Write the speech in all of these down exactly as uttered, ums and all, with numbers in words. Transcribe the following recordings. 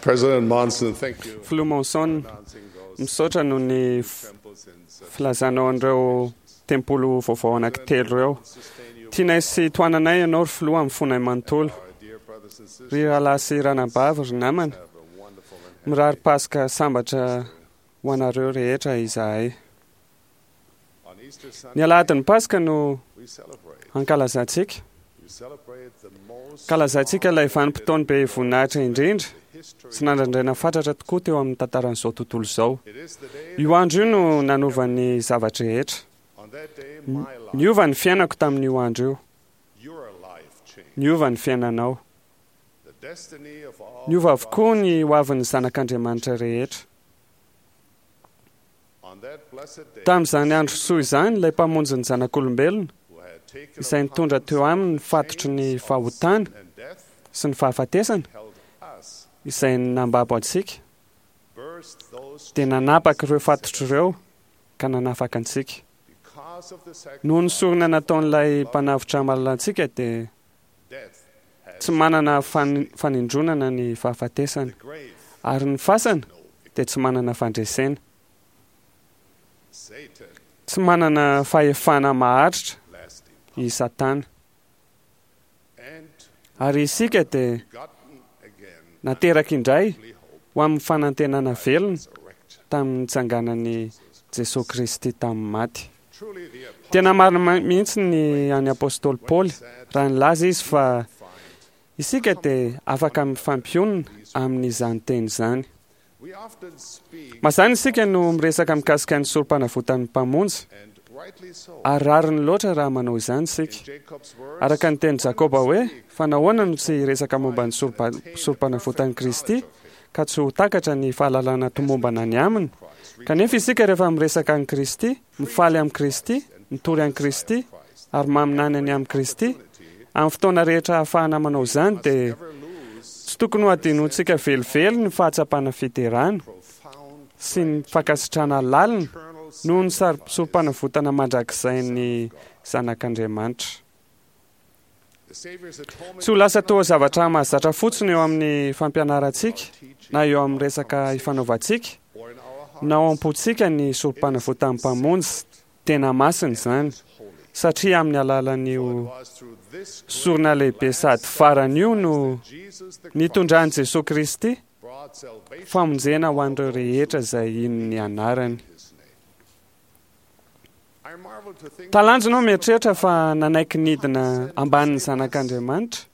President Monson, thank you Filoha Monson, for announcing those misaotra noho ny f- temples in filazanao an'ireo tempoly vaovao anankitelo ireo. sustain you, Tianay sy tohananay ianao ry filoha amin'ny fonay manontolo. our dear brothers and sisters. Ry rahalahy sy ranabavy, ry namana, Have a wonderful and mirary Paska sambatra ho anareo rehetra izahay. On Easter Ny Sunday, alahadin'ny Paska no we celebrate. ankalazantsika. We celebrate the most Ankalazantsika ilay vanim-potoana be voninahitra indrindra history. sy nandrandraina fatratra tokoa teo amin'ny tantaran'izao tontolo izao. It is the day Io andro io no nanovan'ny zavatra rehetra. on that day my life, Niova ny fiainako tamin'io andro io. your life changed. Niova ny fiainanao. The destiny of all Niova avokoa God's ny hoavin'ny zanak'Andriamanitra rehetra. On that blessed day, Tamin'izany andro soa izany, ilay mpamonjy ny zanak'olombelona who had taken izay nitondra teo aminy ny fatotry ny fahotana and death sy ny fahafatesana held us, izay nambabo antsika, burst those dia nanapaka ireo fatotry ireo ka nanafaka antsika. because of the Noho ny sacrifice sorona nataon'ilay mpanavotra malala antsika dia death has tsy manana fan- fanindronana ny fahafatesana, the grave ary ny fasana no dia tsy manana fandresena. Satan Tsy manana fahefana maharitra lasting i Satana. and Ary isika dia begotten again nateraka indray holy hope ho amin'ny fanantenana velona resurrection. tamin'ny nitsanganan'i Jesosy Kristy tamin'ny maty. Truly the apostle Tena marina ma- mihitsy ny an'ny apôstôly Paoly raha nilaza izy fa find isika dia afaka mifampionona amin'izany teny izany. we often speak Mazàna isika no miresaka mikasika ny sorom-panavotan'ny mpamonjy and rightly so ary rariny loatra raha manao izany isika. in Jacob's words Araka ny teny Jakoba hoe fa nahoana no tsy hiresaka momba ny sorompa- sorom-panavotan'i Kristy ka tsy ho takatra ny fahalalana tomombana ny aminy. Kanefa isika rehefa miresaka an'i Kristy, mifaly amin'i Kristy, mitory an'i Kristy ary maminany ny amin'i Kristy, amin'ny fotoana rehetra ahafahana manao izany dia never lose tsy tokony ho adinontsika velively ny fahatsapana fiderana profound sy ny fankasitrahana lalina eternal noho ny sar- sorom-panavotana mandrakizay zanak'Andriamanitra. The Savior's atonement Tsy ho lasa toa zavatra mahazatra fotsiny eo amin'ny fampianarantsika na eo amin'ny resaka ifanaovantsika or in our heart na ao am-pontsika ny sorom-panavotan'ny mpamonjy tena masina izany holy. satria amin'ny alalan'io It was through this sorona lehibe sady farany io no Jesus the nitondran'i Jesosy Kristy brought salvation famonjena ho an'ireo rehetra izay hino ny anarany. in his name. I marvel to think Talanjona aho mieritreritra fa nanaiky nidina ambanin'ny zanak'Andriamanitra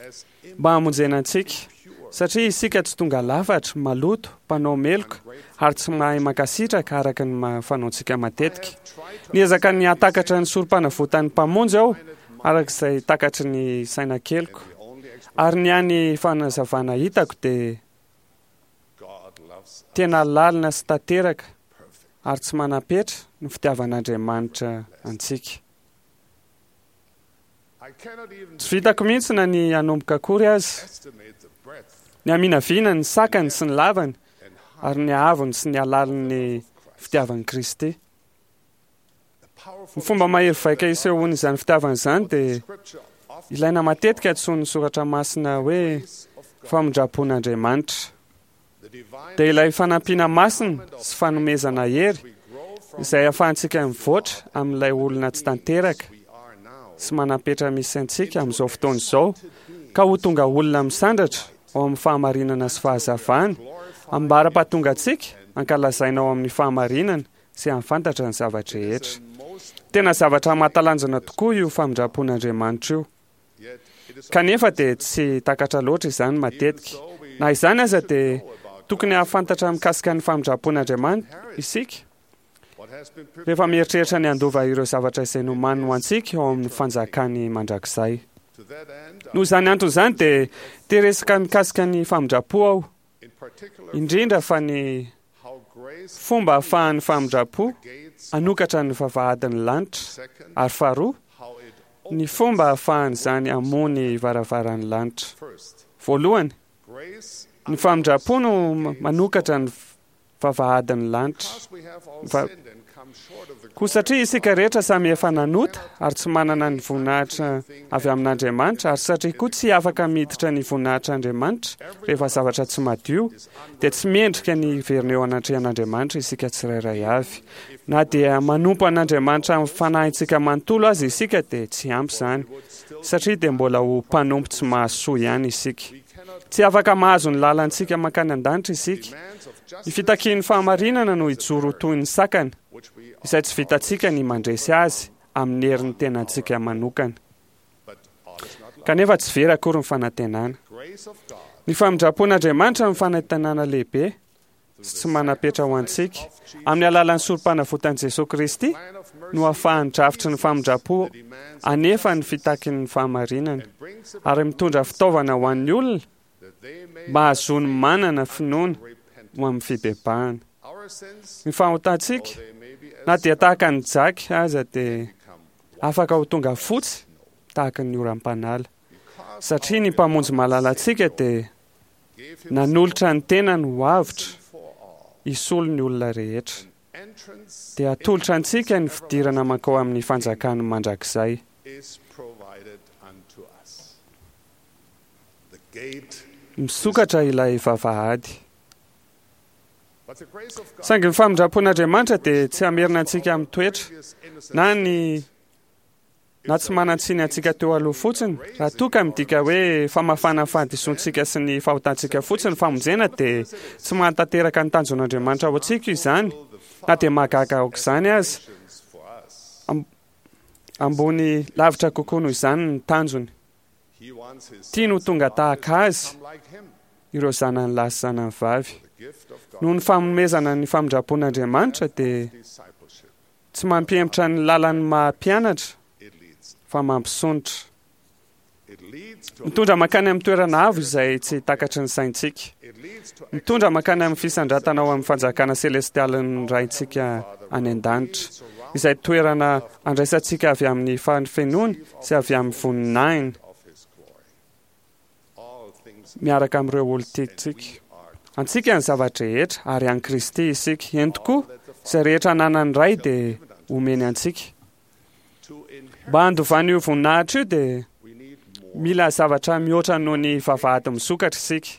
as mba hamonjena antsika impure, satria isika tsy tonga lafatra, maloto, mpanao meloka ary tsy mahay mankasitraka araka ny ma- fanaontsika matetika. have tried to Niezaka ny hatakatra ny sorom-panavotan'ny mpamonjy aho araka izay takatry ny saina keliko. the only explanation Ary ny hany fanazavana hitako dia God loves tena lalina sy tanteraka perfect. ary tsy manam-petra ny fitiavan'Andriamanitra antsika. I cannot even Tsy vitako mihitsy na ny hanomboka akory azy, estimate the breadth ny haminaviana ny sakany sy ny lavany and height ary ny haavony sy ny halalin'ny of Christ. fitiavan'i Kristy. The powerful Ny fomba mahery vaika isehoan'izany fitiavana izany dia scripture often ilaina matetika antsoin'ny soratra masina hoe grace of God, famindram-pon'Andriamanitra. the divine Dia ilay fanampiana masina sy fanomezana hery we grow from izay ahafahantsika mivoatra amin'ilay olona tsy tanteraka we are now sy manam-petra misy antsika amin'izao fotoana izao ka ho tonga olona misandratra ao amin'ny fahamarinana sy fahazavana ambara-pahatonga antsika ankalazaina ao amin'ny fahamarinana sy hahafantatra ny zavatra rehetra. most Tena zavatra mahatalanjona tokoa io famindram-pon'Andriamanitra io. yet it is Kanefa dia tsy takatra loatra izany matetika. Na izany aza dia tokony hahafantatra mikasika ny famindram-pon'Andriamanitra isika what has been prepared rehefa mieritreritra ny handova ireo zavatra izay nomaniny ho antsika ao amin'ny fanjakany mandrakizay. to that end Noho izany antony izany dia te resaka mikasika ny famindram-po aho, in particular indrindra fa ny how grace fomba ahafahan'ny famindram-po gates hanokatra ny vavahadin'ny lanitra second ary faharoa how it ny fomba ahafahan'izany hamoha ny varavaran'ny lanitra. first Voalohany, grace ny famindram-po no manokatra ny vavahadin'ny lanitra. because we have all Va- sinned and Koa satria isika rehetra samy efa nanota ary tsy manana ny voninahitra avy amin'Andriamanitra, ary satria koa tsy afaka miditra ny voninahitr'Andriamanitra rehefa zavatra tsy madio, dia tsy mendrika ny hiverina eo anatrehan'Andriamanitra isika tsirairay avy. Na dia manompo an'Andriamanitra amin'ny fanahintsika manontolo aza isika dia tsy ampy izany, satria dia mbola ho mpanompo tsy mahasoa ihany isika. Tsy afaka mahazo ny lalantsika mankany an-danitra isika. Ny fitakian'ny fahamarinana no hijoro toy ny sakana, izay tsy vitantsika ny mandresy azy amin'ny herin'ny tenantsika manokana. Kanefa tsy very akory ny fanantenana. Ny famindram-pon'Andriamanitra ny fanantenana lehibe sy tsy manam-petra ho antsika amin'ny alalan'ny sorom-panavotan'i Jesosy Kristy no ahafahan'ny drafitry ny famindram-po anefa ny fitakin'ny fahamarinana ary mitondra fitaovana ho an'ny olona mba hahazoany manana finoana ho amin'ny fibebahana. Ny fahotantsika, na dia tahaka ny jaky aza, dia afaka ho tonga fotsy tahaka ny oram-panala, satria ny Mpamonjy malalantsika dia nanolotra ny tenany ho avotra hisolo ny olona rehetra. Dia atolotra antsika ny fidirana mankao amin'ny fanjakany mandrakizay. Misokatra ilay vavahady. Saingy ny famindram-pon'Andriamanitra dia tsy hamerina antsika amin'ny toetra na ny na tsy manan-tsiny antsika teo aloha fotsiny. Raha toa ka midika hoe famafana ny fahadisoantsika sy ny fahotantsika fotsiny ny famonjena, dia tsy mahatanteraka ny tanjon'Andriamanitra ho antsika izany, na dia mahagaga aok'izany aza. Ambony lavitra kokoa noho izany ny tanjony. Tiany ho tonga tahaka azy ireo zanany lahy sy zanany vavy. Noho ny fanomezana ny famindram-pon'Andriamanitra dia tsy mampihemotra ny lalan'ny maha mpianatra fa mampisondrotra. Mitondra mankany amin'ny toerana avo izay tsy takatry ny saintsika. Mitondra mankany amin'ny fisandratana ao amin'ny fanjakana selestialin'ny Raintsika any an-danitra, izay toerana andraisantsika avy amin'ny fahafenoany sy avy amin'ny voninahiny miaraka amin'ireo olon-tiantsika. Antsika ny zava-drehetra ary an'i Kristy isika. Eny tokoa, izay rehetra ananan'ny Ray dia omeny antsika. Mba handovana io voninahitra io dia mila zavatra mihoatra noho ny vavahady misokatra isika.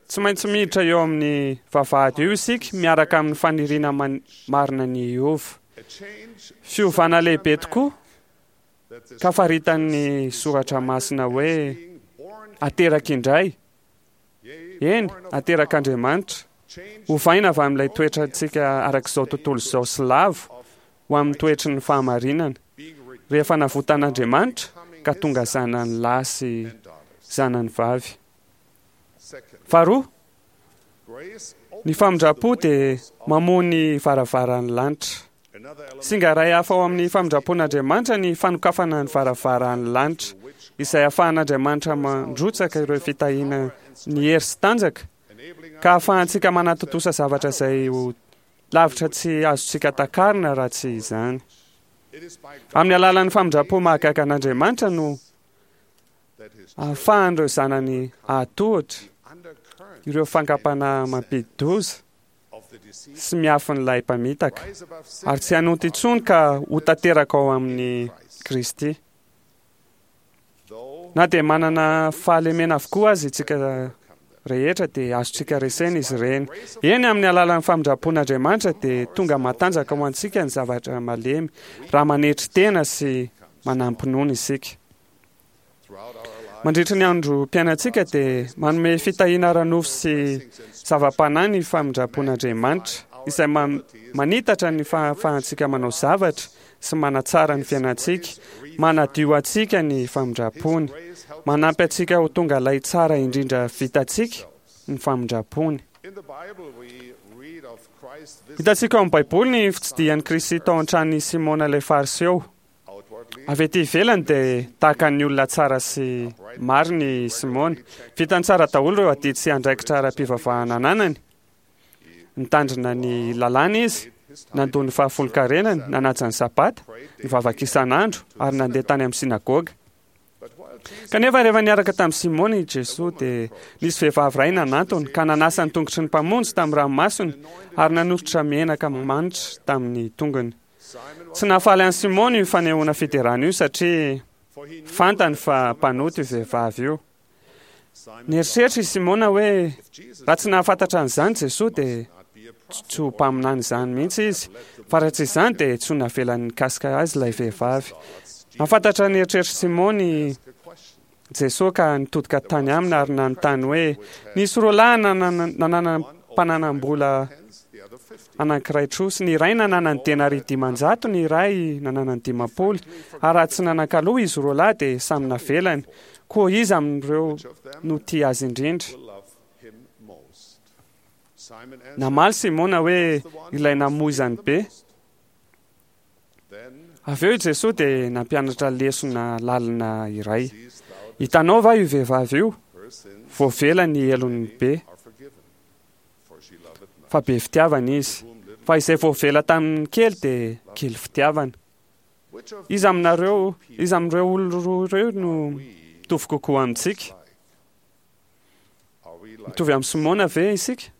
Tsy maintsy miditra eo amin'ny vavahady io isika miaraka amin'ny faniriana marina ny hiova. Fiovana lehibe tokoa ka faritan'ny soratra masina hoe ateraka indray. Eny, aterak'Andriamanitra. Ovaina avy amin'ilay toetrantsika arak'izao tontolo izao sy lavo ho amin'ny toetry ny fahamarinana, rehefa navotan'Andriamanitra ka tonga zanany lahy sy zanany vavy. Faharoa, ny famindram-po dia mamoha ny varavaran'ny lanitra. Singa iray hafa ao amin'ny famindram-pon'Andriamanitra ny fanokafana ny varavaran'ny lanitra, izay ahafahan'Andriamanitra mandrotsaka ireo fitahiana ny hery sy tanjaka, ka ahafahantsika manatontosa zavatra izay ho lavitra tsy azontsika takarina raha tsy izany. Amin'ny alalan'ny famindram-po mahagaga an'Andriamanitra no ahafahan'ireo zanany hahatohitra ireo fankam-panahy mampidi-doza sy miafin'ilay mpamitaka, ary tsy hanonta intsony ka ho tanteraka ao amin'i Kristy. Na dia manana fahalemena avokoa aza isika rehetra dia azontsika resena izy ireny. Eny, amin'ny alalan'ny famindram-pon'Andriamanitra dia tonga matanjaka ho antsika ny zavatra malemy raha manetry tena sy manam-pinoana isika. Mandritra ny androm-piainantsika dia manome fitahiana ara-nofo sy zava-panahy ny famindram-pon'Andriamanitra, izay manitatra ny fahafahantsika manao zavatra sy manatsara ny fiainantsika, manadio antsika ny famindram-pony, manampy antsika ho tonga ilay tsara indrindra vitantsika ny famindram-pony. Hitantsika ao amin'ny Baiboly ny fitsidihan'i Kristy tao an-tranon'i Simona ilay Fariseo. Avy ety ivelany dia tahaka ny olona tsara sy marina i Simona. Vitany tsara daholo ireo adidy sy andraikitra ara-pivavahana ananany. Nitandrina ny lalàna izy, nandoa ny fahafolonkarenany, nanaja ny Sabata, nivavaka isan'andro, ary nandeha tany amin'ny synagoga. Kanefa rehefa niaraka tamin'i Simona i Jesoa dia nisy vehivavy iray nanantony ka nanasa ny tongotry ny Mpamonjy tamin'ny ranomasony ary nanoritra menaka manitra tamin'ny tongony. Tsy nahafaly an'i Simona io fanehoana fiderana io satria fantany fa mpanota io vehivavy io. Nieritreritra i Simona hoe raha tsy nahafantatra an'izany Jesoa dia tsy ho mpaminany izany mihitsy izy, fa raha tsy izany dia tsy ho navelany nikasika azy ilay vehivavy. Nahafantatra ny eritreritr'i Simona i Jesoa ka nitodika tany aminy ary nanontany hoe nisy roa lahy nanana mpananam-bola anankiray trosa, ny iray nanana ny denaria dimanjato, ny iray nanana ny dimampolo, ary raha tsy nanan-kaloa izy roa lahy dia samy navelany. Koa iza amin'ireo no tia azy indrindra? Namaly Simona hoe ilay namoizany be. Avy eo i Jesoa dia nampianatra lesona lalina iray. Hitanao va io vehivavy io? Voavela ny helony be, fa be fitiavana izy. Fa izay voavela tamin'ny kely dia kely fitiavana. Iza aminareo, iza amin'ireo olona roa ireo no mitovy kokoa amintsika? Mitovy amin'i Simona ve isika?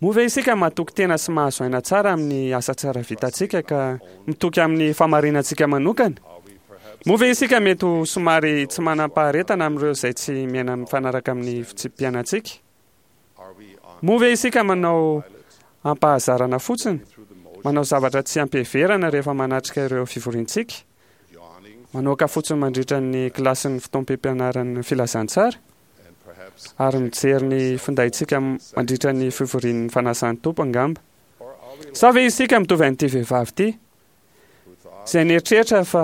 Moa ve isika matoky tena sy mahazo aina tsara amin'ny asa tsara vitantsika ka mitoky amin'ny fahamarinantsika manokana? Moa ve isika mety ho somary tsy manam-paharetana amin'ireo izay tsy miaina mifanaraka amin'ny fitsipi-piainantsika? Moa ve isika manao ampahazarana fotsiny, manao zavatra tsy ampiheverana rehefa manatrika ireo fivoriantsika, manoaka fotsiny mandritra ny kilasin'ny fotoam-pampianaran'ny filazantsara, ary mijery ny findaintsika mandritra ny fivorian'ny fanasan'ny Tompo angamba? Sa ve isika mitovy an'ity vehivavy ity, izay nieritreritra fa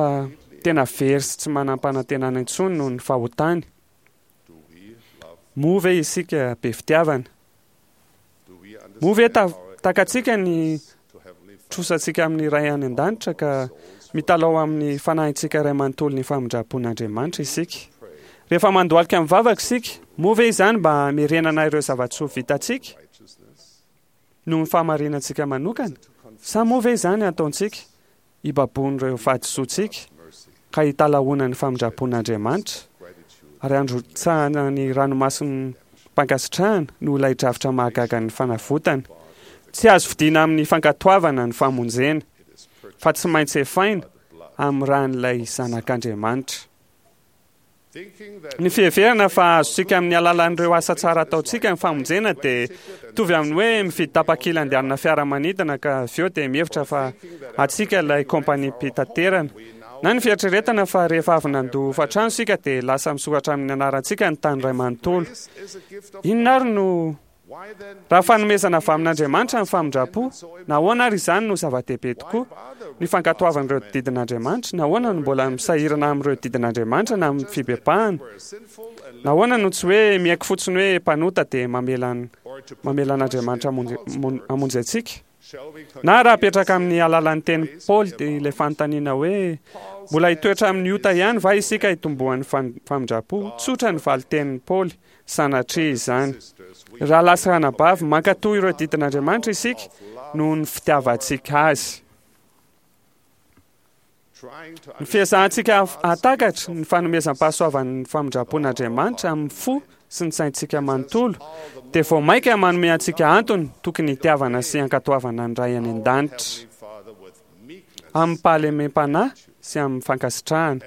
tena very sy tsy manam-panantenana intsony noho ny fahotany? Moa ve isika be fitiavana? Moa ve takatsika ny trosantsika amin'ny Ray any an-danitra ka mitalao amin'ny fanahintsika iray manontolo ny famindram-pon'Andriamanitra isika? Rehefa mandohalika mivavaka isika, moa ve izany mba hamerenana ireo zava-tsoa vitantsika noho ny fahamarinantsika manokana? Sa moa ve izany ataontsika hibaboan'ireo fahadisoantsika ka hitalahoana ny famindram-pon'Andriamanitra ary handrotsahana ny ranomason'ny mpankasitrahana noho ilay drafitra mahagaga ny fanavotana? Tsy azo vidiana amin'ny fankatoavana ny famonjena, fa tsy maintsy efaina amin'ny ran'ilay Zanak'Andriamanitra. Ny fiheverana fa azontsika amin'ny alalan'ireo asa tsara ataontsika ny famonjena dia mitovy amin'ny hoe mividy tapakila andehanana fiaramanidina ka avy eo dia mihevitra fa antsika ilay kompaniam-pitaterana. Na ny fieritreretana fa rehefa avy nandoa hofan-trano isika dia lasa misoratra amin'ny anarantsika ny tany iray manontolo. Inona ary no Raha fanomezana avy amin'Andriamanitra ny famindram-po, nahoana ary izany no zava-dehibe tokoa? Ny fankatoavana ireo didin'Andriamanitra, nahoana no mbola misahirana amin'ireo didin'Andriamanitra na amin'ny fibebahana? Nahoana no tsy hoe miaiky fotsiny hoe mpanota dia mamela mamela an'Andriamanitra hamonjy antsika? Na raha apetraka amin'ny alalan'ny tenin'i Paoly dia ilay fanontaniana hoe mbola hitoetra amin'ny ota ihany va isika hitomboan'ny famindram-po? Tsotra ny valin-tenin'i Paoly, sanatria izany. Rahalahy sy ranabavy, mankatò ireo didin'Andriamanitra isika noho ny fitiavantsika azy. Ny fiezahantsika hahatakatra ny fanomezam-pahasoavan'ny famindram-pon'Andriamanitra amin'ny fo sy ny saintsika manontolo dia vao mainka manome antsika antony tokony hitiavana sy hankatoavana ny Ray any An-danitra amim-pahalemem-panahy sy amin'ny fankasitrahana.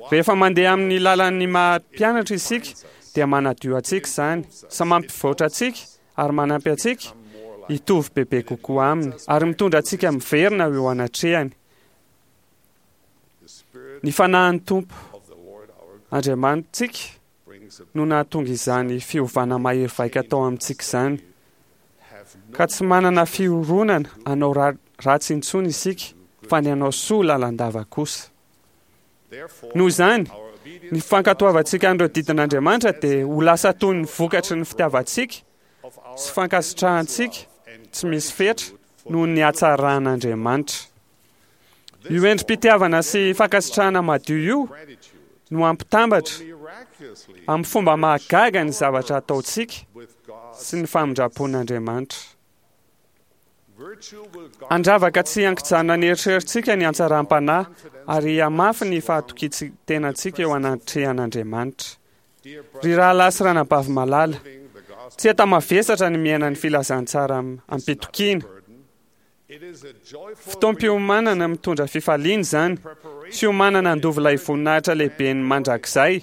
Rehefa mandeha amin'ny lalan'ny maha mpianatra isika dia manadio antsika izany sy mampivoatra antsika ary manampy antsika hitovy bebe kokoa aminy ary mitondra antsika miverina eo anatrehany. Ny fanahin'ny Tompo Andriamanitsika no nahatonga izany fiovana mahery vaika tao amintsika izany, ka tsy manana fironana hanao ratsy intsony isika, fa ny hanao soa lalandava kosa. Noho izany, ny fankatoavantsika an'ireo didin'Andriamanitra dia ho lasa toy ny vokatry ny fitiavantsika sy fankasitrahantsika tsy misy fetra noho ny hatsaran'Andriamanitra. Io endri-pitiavana sy fankasitrahana madio io no hampitambatra amin'ny fomba mahagaga ny zavatra ataontsika sy ny famindram-pon'Andriamanitra. Andravaka tsy ankijanona ny eritreritsika ny antsaram-panahy ary hamafy ny fahatokian-tenantsika eo anatrehan'Andriamanitra. Ry rahalahy sy ranabavy malala, tsy enta-mavesatra ny miaina ny filazantsara am-pitokiana. Fotoam-piomanana mitondra fifaliana izany, fiomanana handova ilay voninahitra lehibe ny mandrakizay.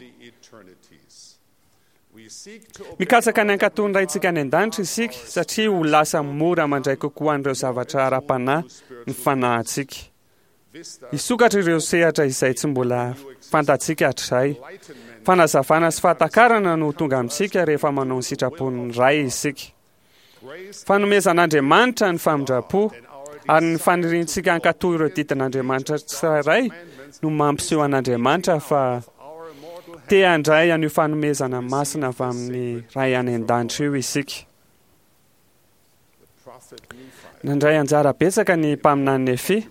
Mikatsaka ny hankatò ny Raintsika any an-danitra isika, satria ho lasa mora mandray kokoa an'ireo zavatra ara-panahy ny fanahintsika. Hisokatra ireo sehatra izay tsy mbola fantatsika hatrizay. Fanazavana sy fahatakarana no ho tonga amintsika rehefa manao ny sitrapon'ny Ray isika. Fanomezan'Andriamanitra ny famindram-po ary ny faniriantsika hankatò ireo didin'Andriamanitra tsirairay no mampiseho an'Andriamanitra fa te handray an'io fanomezana masina avy amin'ny Ray any an-danitra io isika. Nandray anjara betsaka ny mpaminany Nefia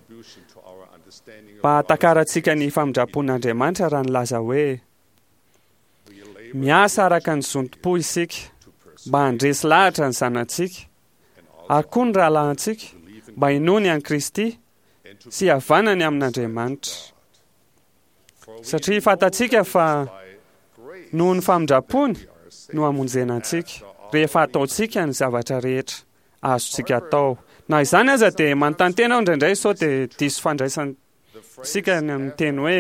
mba hahatakarantsika ny famindram-pon'Andriamanitra raha nilaza hoe miasa araka ny zontom-po isika mba handresy lahatra ny zanatsika ary koa ny rahalahintsika mba hinoany an'i Kristy sy hihavanany amin'Andriamanitra. Satria fantatsika fa noho ny famindram-pony no hamonjena antsika rehefa ataontsika ny zavatra rehetra azontsika atao. Na izany aza dia manontany tena aho indraindray sao dia diso fandraisantsika ny amin'ny teny hoe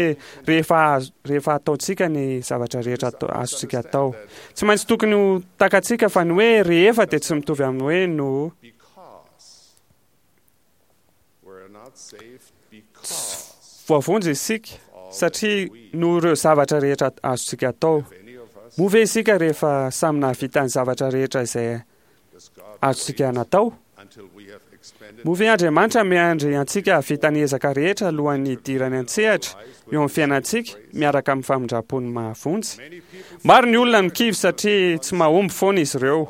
rehefa rehefa ataontsika ny zavatra rehetra azontsika atao. Tsy maintsy tokony ho takatsika fa ny hoe rehefa dia tsy mitovy amin'ny hoe no. Voavonjy isika satria noho ireo zavatra rehetra azontsika atao. Moa ve isika rehefa samy nahavita ny zavatra rehetra izay azontsika natao? Moa ve Andriamanitra miandry antsika hahavita ny ezaka rehetra alohan'ny hidirany an-tsehatra eo amin'ny fiainantsika miaraka amin'ny famindram-pony mahavonjy? Maro ny olona no kivy satria tsy mahomby foana izy ireo.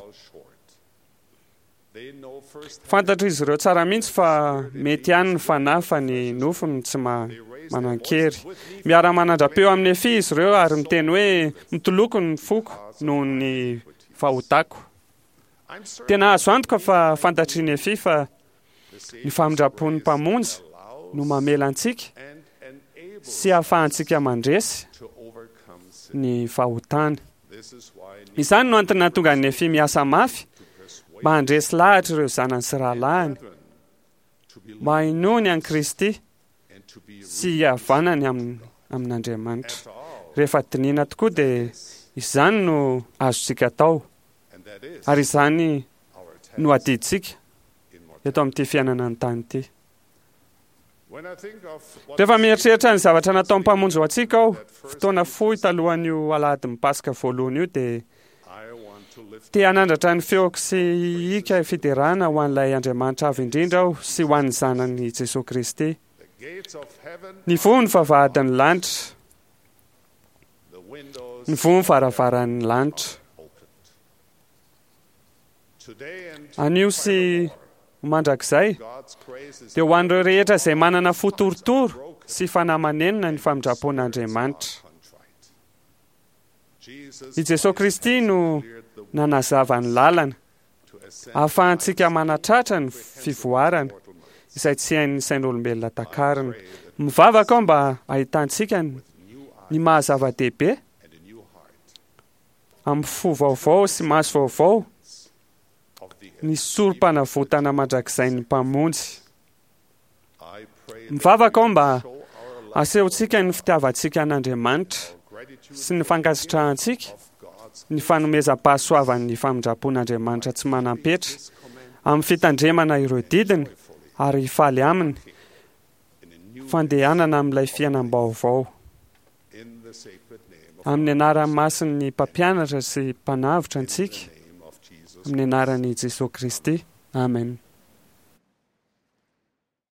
Fantatr'izy ireo tsara mihitsy fa mety ihany ny fanahy fa ny nofo no tsy manan-kery. Miara-manandra-peo amin'i Nefia izy ireo ary miteny hoe mitoloko ny foko noho ny fahotako. Tena azo antoka fa fantatr'i Nefia fa ny famindram-pon'ny Mpamonjy no mamela antsika sy ahafahantsika mandresy ny fahotana. Izany no antony nahatonga an'i Nefia miasa mafy mba handresy lahatra ireo zanany sy rahalahiny, mba hinoany an'i Kristy sy hihavanany amin'Andriamanitra. Rehefa dinihina tokoa dia izany no azontsika atao, ary izany no adidintsika eto amin'ity fiainana an-tany ity. Rehefa mieritreritra ny zavatra nataon'ny Mpamonjy ho antsika aho, fotoana fohy talohan'io alahadin'ny Paska voalohany io, dia te hanandratra ny feoko sy hihika fiderana ho an'ilay Andriamanitra Avo Indrindra aho sy ho an'ny Zanany Jesoa Kristy. Nivoha ny vavahadin'ny lanitra. Nivoha ny varavaran'ny lanitra. Anio sy ho mandrakizay, dia ho an'ireo rehetra izay manana fo torotoro sy fanahy manenina ny famindram-pon'Andriamanitra. I Jesoa Kristy no nanazava ny lalana ahafahantsika manatratra ny fivoarana izay tsy hain'ny sain'olombelona takarina. Mivavaka aho mba hahitantsika ny maha zava-dehibe amin'ny fo vaovao sy maso vaovao ny sorom-panavotana mandrakizain'ny Mpamonjy. Mivavaka aho mba asehontsika ny fitiavantsika an'Andriamanitra sy ny fankasitrahantsika ny fanomezam-pahasoavan'ny famindram-pon'Andriamanitra tsy manam-petra amin'ny fitandremana ireo didiny ary hifaly aminy fandehanana amin'ilay fiainam-baovao. Amin'ny anaran'ny masin'ny Mpampianatra sy Mpanavotra antsika, amin'ny anaran'i Jesoa Kristy. Amen.